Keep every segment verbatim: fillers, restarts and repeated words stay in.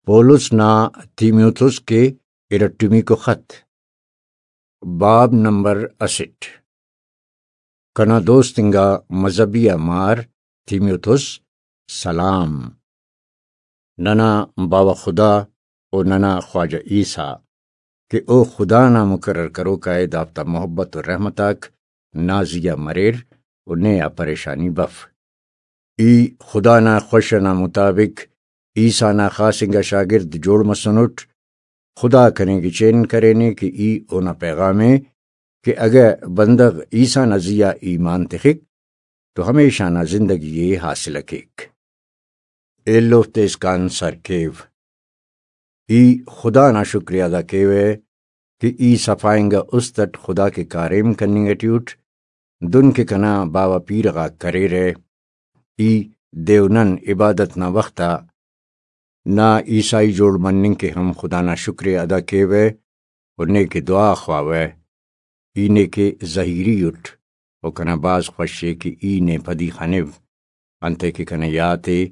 پولس نا تیموتھس کے ارٹمیکو خط۔ باب نمبر اسٹ۔ کنا دوست انگا مذہبی آ مار تیموتھس سلام۔ ننا باوہ خدا و ننا خواجہ عیسیٰ کہ او خدا نا مقرر کروکا ءِ، دافتا محبت و رحمت آک نا زیہا مریر و نے آ پریشانی بف۔ ای خدا نا خوش ئنا مطابق عیسیٰ نا خاص انگا شاگرد جوڑ مسنٹ۔ خدا کنے گچین کرینے کہ ای اونا پیغام ءِ کہ اگہ بندغ عیسیٰ نا زیہا ایمان تخک تو ہمیشہ نا زندگی ءِ حاصل کیک۔ ایلوفتے اسکان سر کیو۔ ای خدا نا شکر ءِ ادا کیوہ کہ ای صفا انگا است اٹ خدا کے کاریم کننگ ٹی اٹ، دن کہ کنا باوہ پیرہ غاک کریرہ۔ ای دے و نن عبادت نا وخت آ نا عیسائی جوڑ مننگ کے ہم خدا نا شکر ءِ ادا کیوہ و نے کے دعا خواوہ۔ ای نے کے زہیری اٹ و کنا بھاز خوش ءِ کہ ای نے پدی خنو، انتئے کہ کنے یات ءِ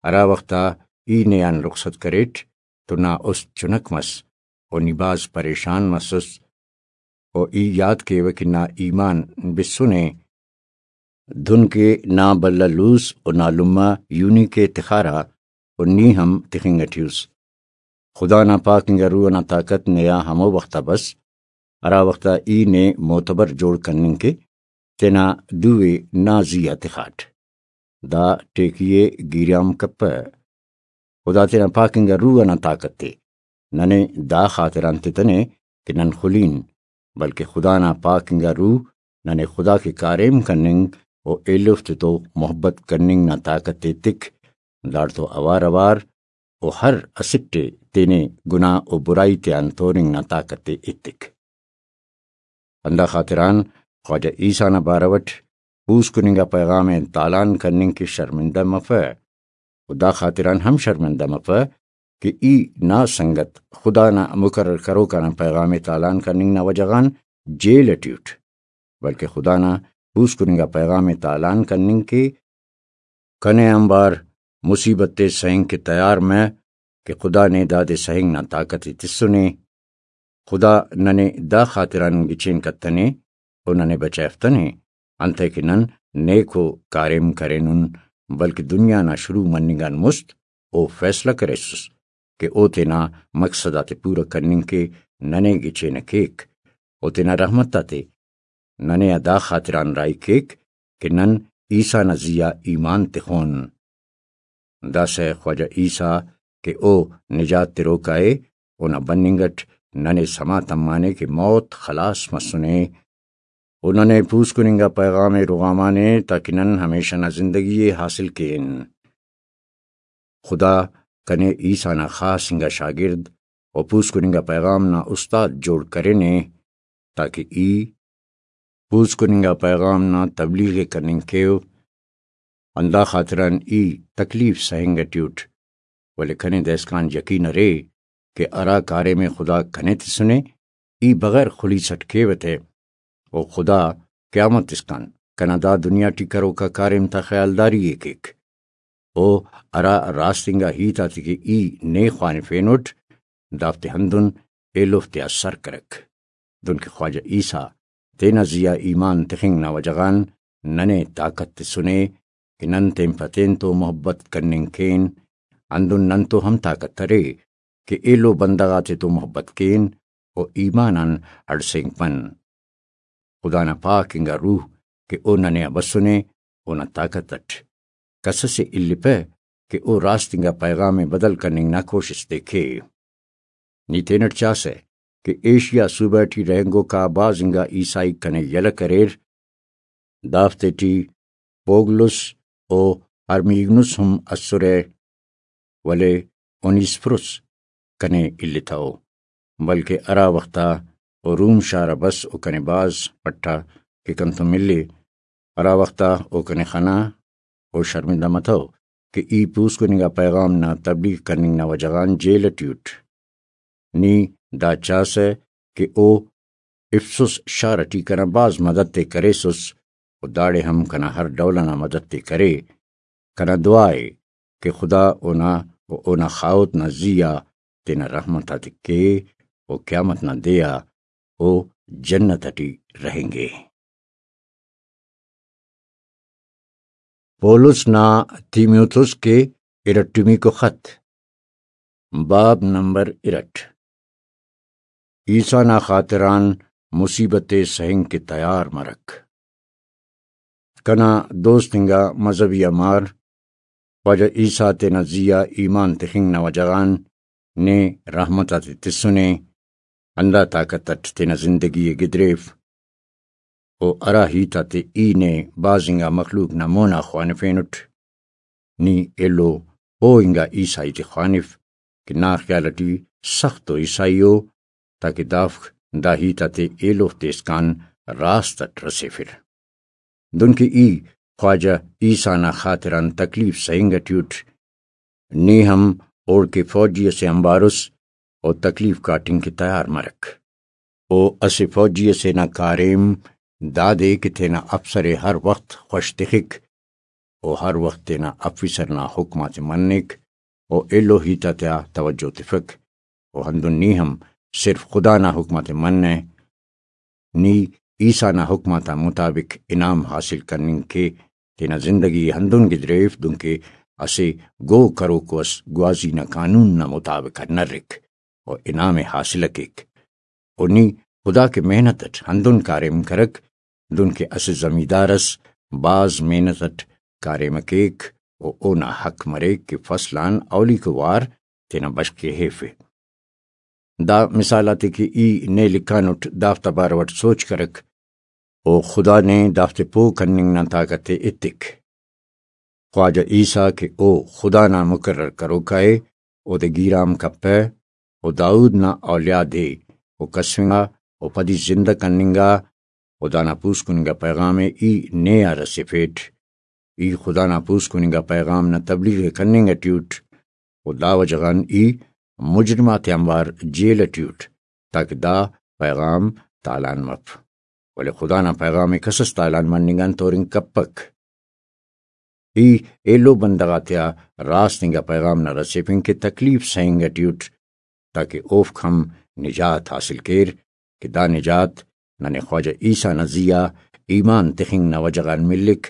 ہرا وخت آ ای نے آن رخصت کریٹ تو نا است چنک مس و نی بھاز پریشان مسس و ای یات کیوہ کہ نا ایمان بسنے۔ دن کہ نا بھلا لوس و نا لمہ یونیکے تخارہ و نی ہم تخنگ ٹی اس۔ خدا نا پاک انگا روح ئنا طاقت نے آ ہمو وخت آ بس ہرا وخت آ ای نے معتبر جوڑ کننگ کے تینا دو ءِ نا زیہا تخاٹ۔ دا ٹیکی ءِ گیریام کپہ۔ خدا تینا پاک انگا روح ئنا طاقت ءِ ننے دا خاطران تتنے کہ نن خلین، بلکہ خدا نا پاک انگا روح ننے خدا کے کاریم کننگ و ایلوفتے تو محبت کننگ نا طاقت ایتک۔ داڑتو اوار اوار و ہر اسٹ ءِ تینے گناہ و برائی تیان تورنگ نا طاقت ءِ ایتک۔ ہندا خاطران خواجہ عیسیٰ نا بارو اٹ پوسکننگا پیغام ءِ تالان کننگ کہ شرمندہ مفہ، و دا خاطران ہم شرمندہ مفہ کہ ای نا سنگت خدا نا مقرر کروکا نا پیغام ءِ تالان کننگ نا وجہ غان جیل ٹی اٹ، بلکہ خدا نا پوسکننگا پیغام ءِ تالان کننگ کہ کنے آنبار مصیبت ءِ سہنگ کہ تیار مہ کہ خدا نے دادے سہنگ نا طاقت ءِ تسنے۔ خدا ننے دا خاطران گچین کتنے و ننے بچائفتنے، انتئے کہ نن نیکو کاریم کرینن، بلکہ دنیا نا شروع مننگ آن مست او فیصلہ کریسس کہ او تینا مقصد آتے پورہ کننگ کے ننے گچین کیک۔ او تینا رحمت آتے ننے آ دا خاطران راہی کیک کہ نن عیسیٰ نا زیہا ایمان تخون۔ داسہ خواجہ عیسیٰ کہ او نجات تروکا ءِ، اونا بننگ اٹ ننے سما تمانے کہ موت خلاص مسنے۔ او ننے پوسکننگا پیغام ءِ رغامانے تاکہ نن ہمیشہ نا زندگی ءِ حاصل کین۔ خدا کنے عیسیٰ نا خاص انگا شاگرد و پوسکننگا پیغام نا استاد جوڑ کرینے تاکہ ای پوسکننگا پیغام نا تبلیغ ءِ کننگ کیو۔ ہندا خاطران ای تکلیف سہنگ ٹی اٹ، ولے کنے دائسکان یقین ارے کہ ہرا کاریم ءِ خدا کنے تسنے، ای بغیر خلیس اٹ کیوہ تے، و خدا قیامت اسکان کنا دا دنیا ٹی کروکا کاریم تا خیالداری ءِ کیک۔ او ہرا راست انگا ہیت آتے کہ ای نے خوانفینٹ، دافتے ہندن ایلوفتے آ سر کرک۔ دنکہ خواجہ عیسیٰ تینا زیہا ایمان تخنگ نا وجہ غان ننے طاقت تسنے کہ نن تین پہ تین تو محبت کننگ کین، ہندن نن تو ہم طاقت ارے کہ ایلو بندغ آتے تو محبت کین و ایمان آن ہڑسینگپن۔ خدا نا پاک انگا روح کہ او ننے آ بسنے، اونا طاقت اٹ کس اسے الپہ کہ او راست انگا پیغام ءِ بدل کننگ نا کوشست ءِ کے۔ نی تینٹ چاسہ کہ ایشیا صوبہ ٹی رہینگوکا بھاز انگا عیسائی کنے یلہ کریر، دافتے ٹی پوگلس و ہرمیگنس ہم اسرہ، ولے اونیسفروس کنے التو، بلکہ ہرا وختا او روم شار آ بس او کنے بھاز پٹا کہ کنتون ملے، ہرا وختا او کنے خنا، او شرمندہ متو کہ ای پوسکن انگا پیغام نا تبلیغ کننگ نا وجہ غان جیل ٹی اٹ۔ نی دا چاسہ کہ او افسس شار ٹی کنا بھاز مدد تے کریسس و داڑے ہم کنا ہر ڈول ئنا مدد تے کرے۔ کنا دعا ءِ کہ خدا اونا و اونا خاہوت نا زی آ تینا رحمت آتے کے، و قیامت نا دے آ او جنت اٹی رہینگے۔ پولس نا تیموتھوس کے ارٹمیکو خط، باب نمبر ارٹ۔ عیسیٰ نا خاطران مصیبت ءِ سہنگ کہ تیار مرک۔ کنا دوست انگا مذہبی آ مار، خواجہ عیسیٰ تینا زی آ ایمان تخنگ نا وجہ غان نے رحمت آتے تسنے، ہندا طاقت اٹ تینا زندگی ءِ گدریف۔ و ہرا ہیت آتے ای نے بھاز انگا مخلوق نا مونا خوانفینٹ، نی ایلو پہہ انگا عیسائی تے خوانف کہ نا خیال اٹی سخت و عیسائی ءُ، تاکہ دافک دا ہیت آتے ایلوفتے اسکان راست اٹ رسیفر۔ دنکہ ای خواجہ عیسیٰ نا خاطران تکلیف سہنگ اٹی اٹ، نی ہم اوڑکہ فوجی اسے آنبار اس و تکلیف کاٹنگ کہ تیار مرک۔ او اسہ فوجی اسے نا کاریم دادے کہ تینا افسر ءِ ہر وخت خوش تخک، و ہر وخت تینا آفیسر نا حکم آتے منک و ایلو ہیت آتیا توجہ تفک، و ہندن نی ہم صرف خدا نا حکم آتے منہ۔ نی عیسیٰ نا حکم آتا مطابق انعام حاصل کننگ کے تینا زندگی ءِ ہندن گدریف دنکہ اسہ گو کروکو اس گوازی نا قانون نا مطابق آ نرک و انعام ءِ حاصل ءِ کیک۔ و نی خدا کہ محنت اٹ ہندن کاریم کرک، دنکہ اسہ زمیندار اس بھاز محنت اٹ کاریم ءِ کیک و اونا حق مریک کہ فصل آن اولیکو وار تینا بشخ ءِ ہیفے۔ دا مثال آتے کہ ای نے لکھانٹ دافتا بارو اٹ سوچ کرک، و خدا نے دافتے پہہ کننگ نا طاقت ءِ ایتک۔ خواجہ عیسیٰ کہ او خدا نا مقرر کروکا ءِ، اودے گیرام کپہ، و داؤد نا اولیاد ءِ، و کسفنگا، و پدی زندہ کننگا، و دانا پوسکننگا پیغام ءِ ای نے آ رسیفیٹ۔ ای خدا نا پوسکننگا پیغام نا تبلیغ ءِ کننگ اٹی اٹ، و دا وجہ غان ای مجرم آتیانبار جیل اٹی اٹ، تاکہ دا پیغام تالان مف۔ ولے خدا نا پیغام ءِ کسس تالان مننگ آن تورنگ کپک۔ ای ایلو بندغ آتیا راست انگا پیغام نا رسیفنگ کہ تکلیف سہنگ اٹی اٹ، تاکہ اوفک ہم نجات حاصل کیر، کہ دا نجات ننے خواجہ عیسیٰ نا زی آ ایمان تخنگ نا وجہ غان ملک،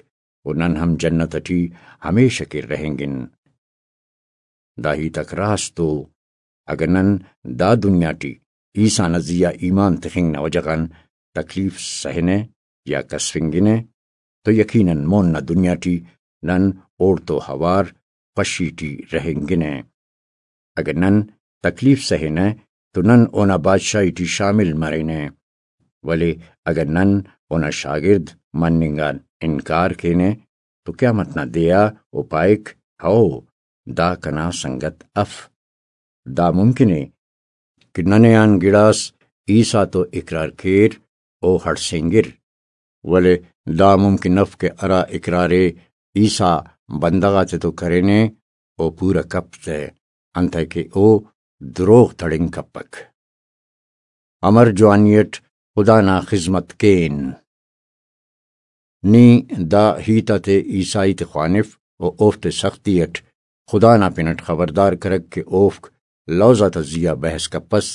و نن ہم جنت اٹی ہمیشہ کہ رہینگن۔ دا ہیت آک راست ءُ۔ اگہ نن دا دنیا ٹی عیسیٰ نا زی آ ایمان تخنگ نا وجہ غان تکلیف سہنہ یا کسفنگنہ، تو یقیناً مون نا دنیا ٹی نن اوڑتو اوار خوشی ٹی رہینگنہ۔ اگہ نن تکلیف سہنہ تو نن اونا بادشاہی ٹی شامل مرینہ، ولے اگہ نن اونا شاگرد مننگ آن انکار کینہ تو قیامت نا دے آ او پائک، ہئو، دا کنا سنگت اف۔ دا ممکن ءِ کہ ننے آن گڑاس عیسیٰ تو اقرار کیر، او ہڑسینگر، ولے دا ممکن اف کہ ہرا اقرار ءِ عیسیٰ بندغ آتتو کرینے، او پورہ کپ تہ، انتئے کہ او دروغ تڑنگ کپک۔ امر جوانی اٹ خدا نا خذمت کین۔ نی دا ہیت آتے عیسائی تے خوانف و اوفتے سختی اٹ خدا نا پن اٹ خبردار کرک کہ اوفک لوز آتا زی آ بحث کپس۔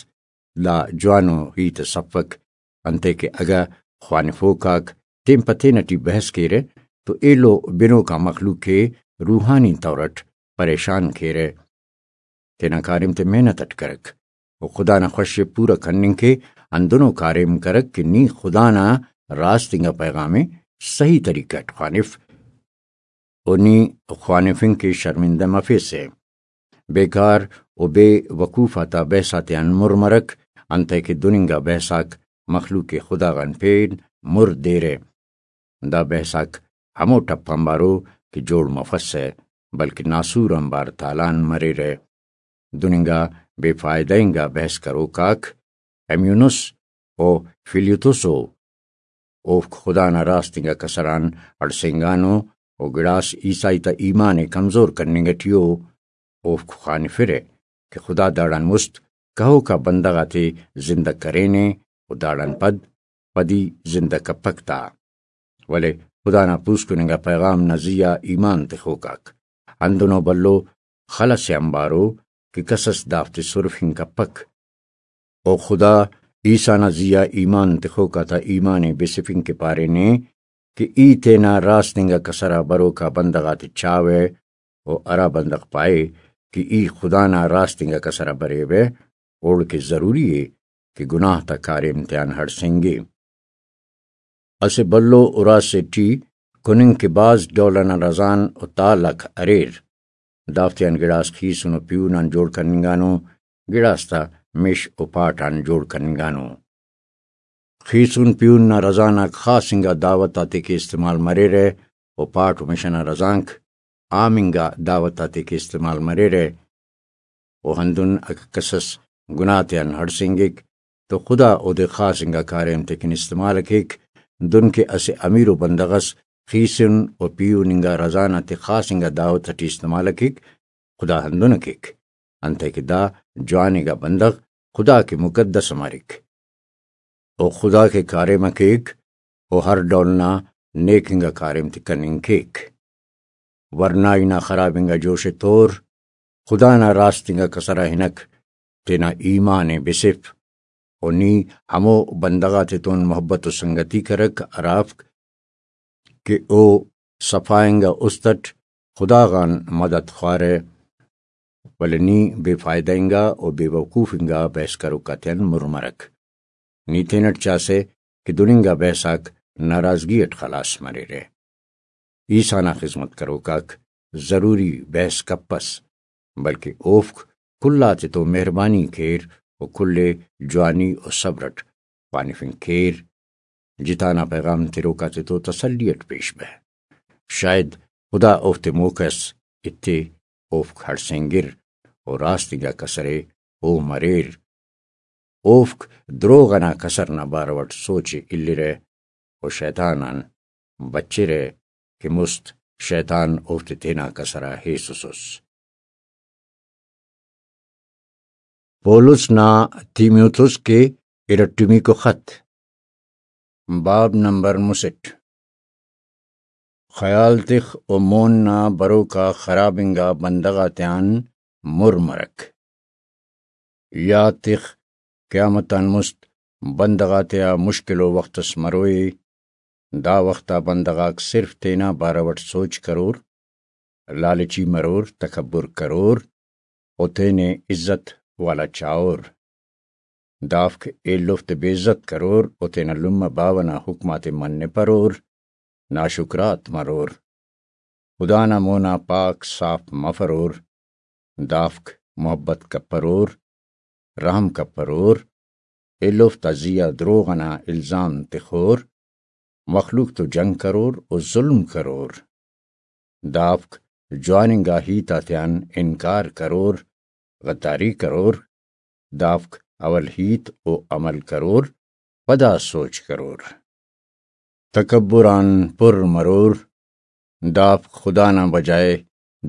دا جوانو ہیت اس افک، انتئے کہ اگہ خوانفوک آک تین پہ تین اٹی بحث کیرہ تو ایلو بنوک آ مخلوق ءِ روحانی طور اٹ پریشان کیرہ۔ تینا کاریم تے محنت اٹ کرک و خدا نا خوش ءِ پورہ کننگ کے ہندنو کاریم کرک کہ نی خدا نا راست انگا پیغام ءِ صحیح طریقہ اٹ خوانف و نی خوانفنگ کہ شرمندہ مفیسہ۔ بیکار و بے وقوف آتا بحث آتیان مر مرک، انتئے کہ دن انگا بحث آک مخلوق خدا غان پین مر دیرہ۔ دا بحث آک ہمو ٹپ آنبارو کہ جوڑ مفسہ، بلکہ ناسور آنبار تالان مریرہ۔ دن انگا بے فائدہ انگا بحث کروک آک ایمونس و فلیتوس ءُ۔ اوفک خدا نا راست انگا کسر آن ہڑسینگانو و گڑاس عیسائی تا ایمان ءِ کمزور کننگ اٹی ءُ۔ اوفک خوانفرہ کہ خدا داڑان مست کہوکا بندغ آتے زندہ کرینے و داڑان پد پدی زندہ کپک تا۔ ولے خدا نا پوسکن انگا پیغام نا زی آ ایمان تخوک آک ہندنو بھلو خل ئسے آنبارو کہ کس ئس دافتے سرفنگ کپک۔ و خدا عیسیٰ نا زیہا ایمان تخوک آتا ایمان ءِ بسفنگ کہ پارینے کہ ای تینا راست انگا کسر آ بروک آ بندغ آتے چاوہ، و ہرا بندغ پائے کہ ای خدا نا راست انگا کسر آ بریوہ، اوڑکہ ضروری ءِ کہ گناہ تا کاریم تیان ہڑسینگے۔ اسہ بھلو اراس ٹی کننگ کہ بھاز ڈول ئنا رزان و تالک اریر۔ دافتیان گڑاس خیسن و پیہن آن جوڑ کننگانو، گڑاس تا مش و پاٹ آن جوڑ کننگانو۔ خیسن پیہن نا رزان آک خاص انگا دعوت آتیکہ استعمال مریرہ، و پاٹ و مش ئنا رزانک عام انگا دعوت آتیکہ استعمال مریرہ۔ و ہندن اگہ کس ئس گناہ تیان ہڑسینگک تو خدا اودے خاص انگا کاریم تیکن استعمال ءِ کیک، دن کہ اسہ امیرو بندغ ئس خیسن و پیہن انگا رزان آتے خاص انگا دعوت ٹی استعمال ءِ کیک، خدا ہندن ءِ کیک، انتئے کہ دا جوان انگا بندغ خدا کہ مقدس مریک۔ و خدا کہ کاریم ءِ کیک، و ہر ڈول نا نیک انگا کاریم تے کننگ کیک۔ ورنائی نا خراب انگا جوش ءِ تور، خدا نا راست انگا کسر آ ہنک، تینا ایمان ءِ بسف، و نی ہمو بندغ آتتون محبت و سنگتی کرک ہرافک کہ او صفا انگا است اٹ خدا غان مدد خوارہ، ولے نی بے فائدہ انگا و بے وقوف انگا بحث کروک آتیان مر مرک۔ نی تینٹ چاسہ کہ دن انگا بحث آک ناراضگی اٹ خلاص مریرہ۔ عیسیٰ نا خذمت کروک آک ضروری بحث کپس، بلکہ اوفک کل آتتو مہربانی کیر و کل ءِ جوانی و صبر اٹ خوانفنگ کیر۔ جتا نا پیغام تروک آتتو تسلی اٹ پیش بہ۔ شاید خدا اوفتے موقع اس ایتے، اوفک ہڑسینگر و راست انگا کسرے او مریر۔ اوفک دروغ ئنا کسر نا بارو اٹ سوچ ءِ الیرہ و شیطان آن بچرہ کہ مست شیطان اوفتے تینا کسر آ ہیسسس۔ پولس نا تیموتوس کے ارٹمیکو خط، باب نمبر مسٹ۔ خیال تخ و مون نا بروکا خراب انگا بندغ آتیان مر مرک۔ یات تخ، قیامت آن مست بندغ آتیا مشکلو وخت اس مروئے۔ دا وخت آ بندغ آک صرف تینا بارو اٹ سوچ کرور، لالچی مرور، تکبر کرور و تینے عزت والا چاہور۔ دافک ایلوفتے بے عزت کرور و تینا لمہ باوہ نا حکم آتے منپرور، ناشکرات مرور۔ خدا نا مونا پاک صاف مفرور۔ دافک محبت کپرور، رحم کپرور، ایلوفتا زیہا دروغ ئنا الزام تخور، مخلوق تو جنگ کرور و ظلم کرور۔ دافک جوان انگا ہیت آتیان انکار کرور، غداری کرور۔ دافک اول ہیت و عمل کرور، پدا سوچ کرور۔ تکبر آن پر مرور۔ دافک خدا نا بجائے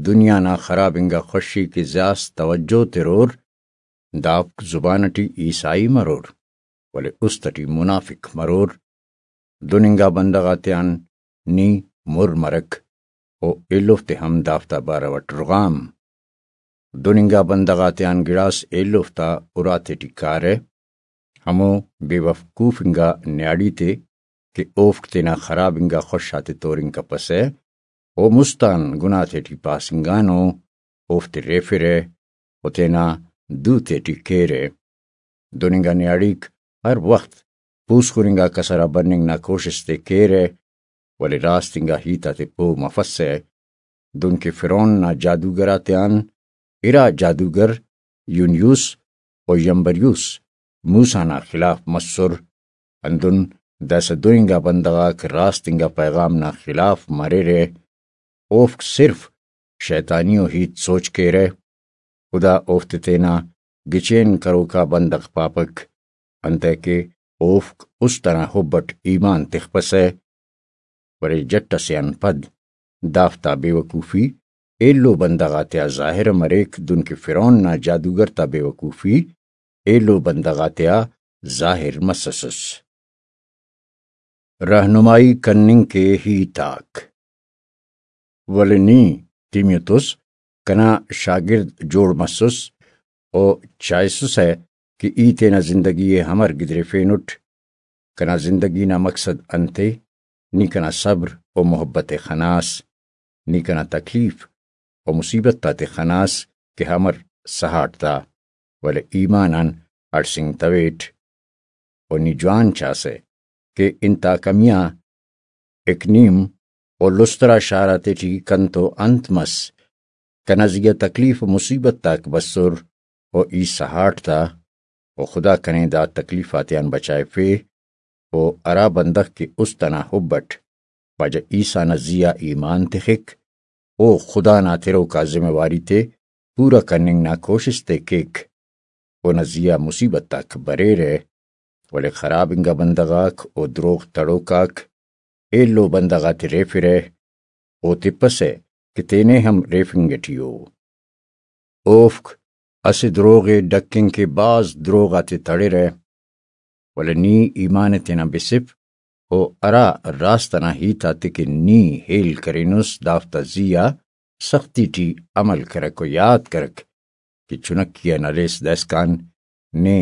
دنیا نا خراب انگا خوشی کہ زیاس توجہ ترور۔ دافک زبان ٹی عیسائی مرور، ولے است ٹی منافق مرور۔ دن انگا بندغ آتیان نی مر مرک و ایلوفتے ہم دافتا بارو اٹ رغام۔ دن انگا بندغ آتیان گڑاس ایلوفتا اراتے ٹی کارہ، ہمو بے وقوف انگا نیاڑی تے کہ اوفک تینا خراب انگا خوش آتے تورنگ کپسہ، او مست آن گناہ تیٹی پاسنگانو، اوفتے ریفرہ و تینا دو تیٹی کیرہ۔ دن انگا نیاڑیک ہر وخت پوسکن انگا کسر آ بننگ نا کوشست ءِ کیرہ، ولے راست انگا ہیت آتے پہہ مفسہ۔ دنکہ فرعون نا جادوگر آتیان ارا جادوگر یونیوس و یمبریوس موسیٰ نا خلاف مسر، ہندن داسہ دو انگا بندغ آک راست انگا پیغام نا خلاف مریرہ۔ اوفک صرف شیطانی و ہیت سوچ کیرہ۔ خدا اوفتے تینا گچین کروکا بندغ پاپک، انتئے کہ اوفک است ئنا حب اٹ ایمان تخپسہ، ولے جٹ ئسے آن پد دافتا بے وقوفی ایلو بندغ آتیا ظاہر مریک، دنکہ فرعون نا جادوگر تا بے وقوفی ایلو بندغ آتیا ظاہر مسسس۔ رہنمائی کننگ کے ہیت آک۔ ولے نی، تیمیوتوس، کنا شاگرد جوڑ مسس و چائسسہ کہ ای تینا زندگی ءِ امر گدریفینٹ۔ کنا زندگی نا مقصد انت ءِ؟ نی کنا صبر و محبت ءِ خناس، نی کنا تکلیف و مصیبت آتے خناس کہ امر سہاٹ تا، ولے ایمان آن ہڑسینگتویٹ۔ و نی جوان چاسہ کہ انتاکہ میاں اکنیم و لسترا شار آتیٹی کنتو انت مس۔ کنا زیہا تکلیف و مصیبت آک بسر و ای سہاٹ تا، و خدا کنے دا تکلیف آتیان بچائفے۔ و ہرا بندغ کہ است ئنا حب اٹ خواجہ عیسیٰ نا زیہا ایمان تخک، او خدا نا تروکا ذمہ واری تے پورا کننگ نا کوشست ءِ کیک۔ اونا زیہا مصیبت آک بریرہ، ولے خراب انگا بندغ آک و دروغ تڑوک آک ایلو بندغ آتے ریفرہ، او تپسہ کہ تینے ہم ریفنگ ٹی ءُ۔ اوفک اسہ دروغ ءِ ڈکھنگ کہ بھاز دروغ آتے تڑرہ، ولے نی ایمان ءِ تینا بسف و ہرا راست ئنا ہیت آتے کہ نی ہیل کرینس، دافتا زیہا سختی ٹی عمل کرک و یات کرک کہ چنکی آن ہلیس دائسکان نے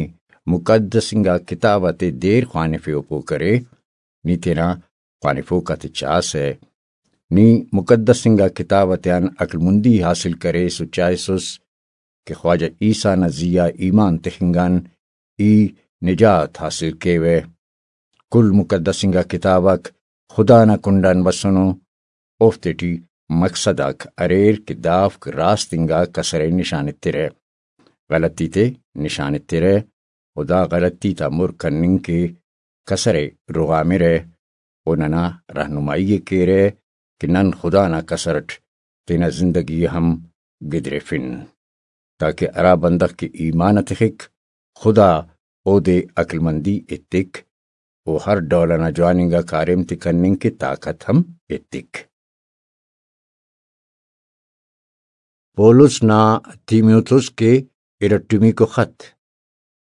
مقدس انگا کتاب آتے دیر خوانفے و پو کرے۔ نی تینا خوانفوک آتے چاسہ۔ نی مقدس انگا کتاب آتیان عقلمندی حاصل کریس و چائسس کہ خواجہ عیسیٰ نا زیہا ایمان تخنگ آن ای نجات حاصل کیوہ۔ کل مقدس انگا کتاب آک خدا نا کنڈ آن بسنو، اوفتے ٹی مقصد آک اریر کہ دافک راست انگا کسر ءِ نشان ایترہ، غلطی تے نشان ایترہ، و دا غلطی تا مر کننگ کہ کسر ءِ رغامرہ و ننا رہنمائی ءِ کیرہ کہ نن خدا نا کسر اٹ تینا زندگی ءِ ہم گدریفن، تاکہ ہرا بندغ کہ ایمان ءِ تخک، خدا اودے عقلمندی ایتک و ہر ڈول ئنا جوان انگا کاریم تے کننگ کہ طاقت ہم ایتک۔ پولس نا تیموتھس کے ارٹمیکو خط،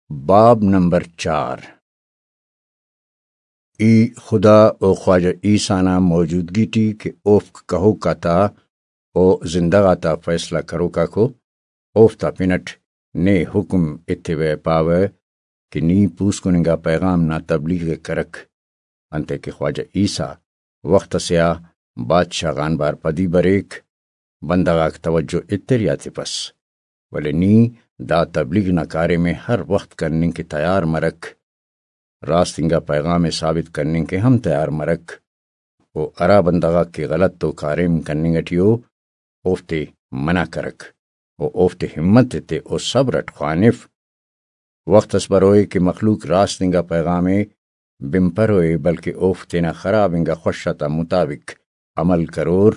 باب نمبر چار۔ ای خدا و خواجہ عیسیٰ نا موجودگی ٹی کہ اوفک کہوک آتا و زندہ غاتا فیصلہ کروک آکو، اوفتا پن اٹ نے حکم ایتیوہ پاوہ کہ نی پوسکن انگا پیغام نا تبلیغ ءِ کرک، انتئے کہ خواجہ عیسیٰ وخت اسے آ بادشاہ غان بار پدی بریک، بندغ آک توجہ ایتر یا تپس، ولے نی دا تبلیغ نا کاریم ءِ ہر وخت کننگ کہ تیار مرک، راست انگا پیغام ءِ ثابت کننگ کہ ہم تیار مرک، و ہرا بندغ آک کہ غلط و کاریم کننگ ٹی ءُ، اوفتے منع کرک و اوفتے ہمت ایتے و صبر اٹ خوانف۔ وخت اس بروئے کہ مخلوق راست انگا پیغام ءِ بنپروئے، بلکہ اوفک تینا خراب انگا خوش آتا مطابق عمل کرور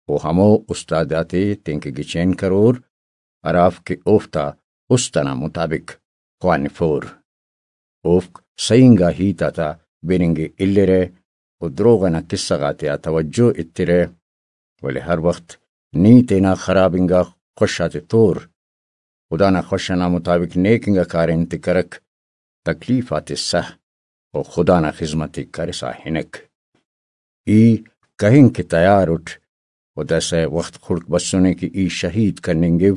و ہمو استاد آتے تینکہ گچین کرور، ہرافک کہ اوفتا است ئنا مطابق خوانفور۔ اوفک صحیح انگا ہیت آتا بننگ ءِ الرہ و دروغ ئنا قصہ غاتیا توجہ ایترہ، ولے ہر وخت نی تینا خراب انگا خوش آتے تور۔ خدا نا خوش ئنا مطابق نیک انگا کاریم تے کرک، تکلیف آتے سہ و خدا نا خذمت ءِ کرسا ہنک۔ ای کہنگ کہ تیار اٹ و داسہ وخت خڑک بسنے کہ ای شہید کننگو۔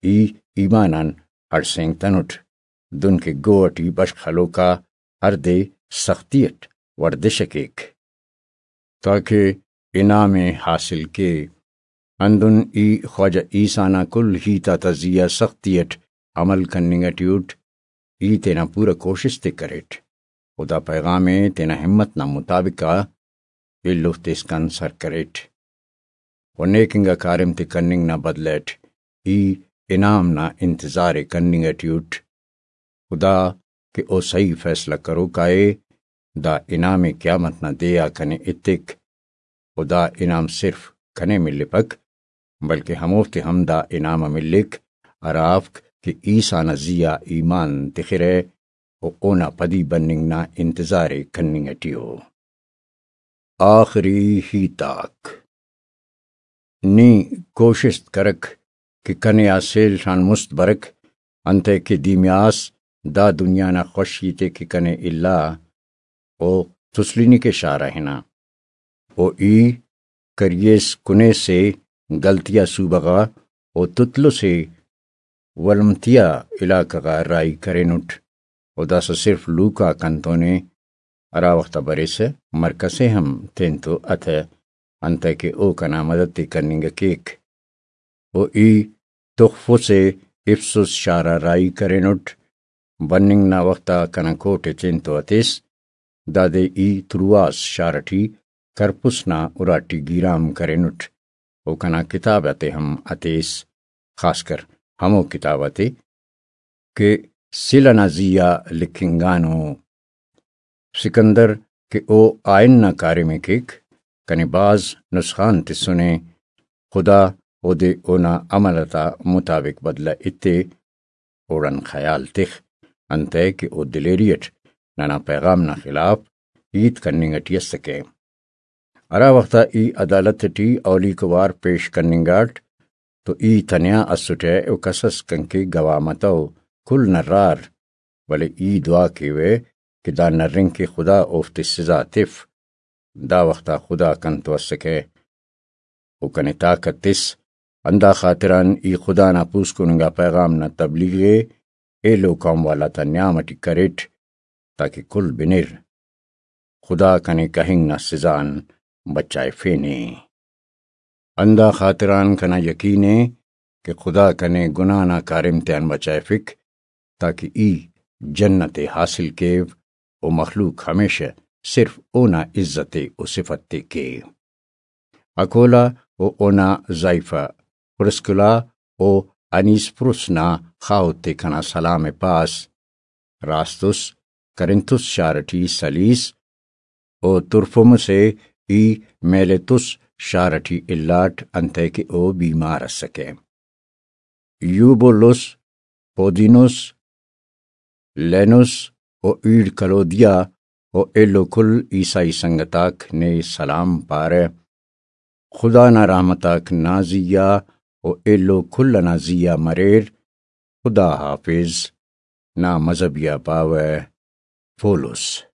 ای ایمان آن ہڑسینگتنٹ، دن کہ گو اٹی بشخ ہلوکا ہر دے سختی اٹ ورزش ءِ کیک، تاکہ انعام ءِ حاصل کے۔ ہندن ای خواجہ عیسیٰ نا کل ہیت آتا زیہا سختی اٹ عمل کننگ ٹی اٹ، ای تینا پورا کوشست ءِ کریٹ و دا پیغام ءِ تینا ہمت نا مطابق آ ایلو تیسکان سر کریٹ و نیک انگا کاریم تے کننگ نا بدلہ اٹ ای انعام نا انتظار ءِ کننگ ٹی اٹ۔ خدا کہ او صحیح فیصلہ کروکا ءِ، دا انعام ءِ قیامت نا دے آ کنے ایتک و دا انعام صرف کنے ملپک، بلکہ ہموفتے ہم دا انعام ءِ ملک، ہرافک کہ عیسیٰ نا زیہا ایمان تخرہ و اونا پدی بننگ نا انتظار ءِ کننگ ٹی ءُ۔ آخری ہیت آک۔ نی کوشست کرک کہ کنے آ سیل آن مست برک، انتئے کہ دیمیاس دا دنیا نا خوشی تے کہ کنے الا، او تسلینی کے شارہ ہنا۔ او ای کریس کنے سے گلتیا صوبہ غا و تطلس ولمتیا علاقہ غا راہی کرینٹ، و داسہ صرف لوکا کنتونے ہرا وخت آ بریسہ مرکس ءِ ہم تینتو اتہ، انتئے کہ او کنا مدد ءِ کننگ ءَ کیک۔ و ای تخفس ءِ افسس شار آ راہی کرینٹ، بننگ نا وخت آ کنا کوٹ ءِ تینتو ہتیس، دادے ای ترواس شار ٹی کرپس نا اراٹی گیرام کرینٹ، و کنا کتاب آتے ہم ہتیس، خاص کر ہمو کتاب آتے کہ سلہ نا زی آ لکھنگانو۔ سکندر کہ او آئین نا کاریم ءِ کیک، کنے بھاز نسخان تسنے، خدا اودے اونا عمل آتا مطابق بدلہ ایتے، اوڑان خیال تخ، انتئے کہ او دلیری اٹ ننا پیغام نا خلاف ہیت کننگ اٹی اسکہ۔ ہرا وخت آ ای عدالت اٹی اولیکو وار پیش کننگاٹ تو ای تنیا اسٹہ و کس اس کنکے گواہ متو، کل نرار، ولے ای دعا کیوہ کہ دا نرنگ کہ خدا اوفتے سزا تف۔ دا وخت آ خدا کنتو اسکہ و کنے طاقت تس، ہندا خاطران ای خدا نا پوسکن انگا پیغام نا تبلیغ ءِ ایلو قوم والا تا نیام اٹی کریٹ، تاکہ کل بنر۔ خدا کنے کہنگ نا سزا آن بچائفینے۔ ہندا خاطران کنا یقین ءِ کہ خدا کنے گناہ نا کاریم تیان بچائفک، تاکہ ای جنت ءِ حاصل کیو و مخلوق ہمیشہ صرف اونا عزت ءِ و صفت ءِ کے۔ اکولا و اونا زائیفہ پرسکلا و انیسپروس نا خاہوت ءِ کنا سلام ءِ پاس۔ راست اس، کرنتس شار ٹی سلیس، و ترفمس ءِ ای میلیتس شار ٹی الاٹ، انتئے کہ او بیمار اسکہ۔ یوبولس، پودینس، لینس و ایڑ کلودیا و ایلو کل عیسائی سنگت آک نے سلام پارہ۔ خدا نا رحمت آک نا زی آ و ایلو کل ئنا زی آ مریر۔ خدا حافظ۔ نا مذہبی آ پاوہ پولس۔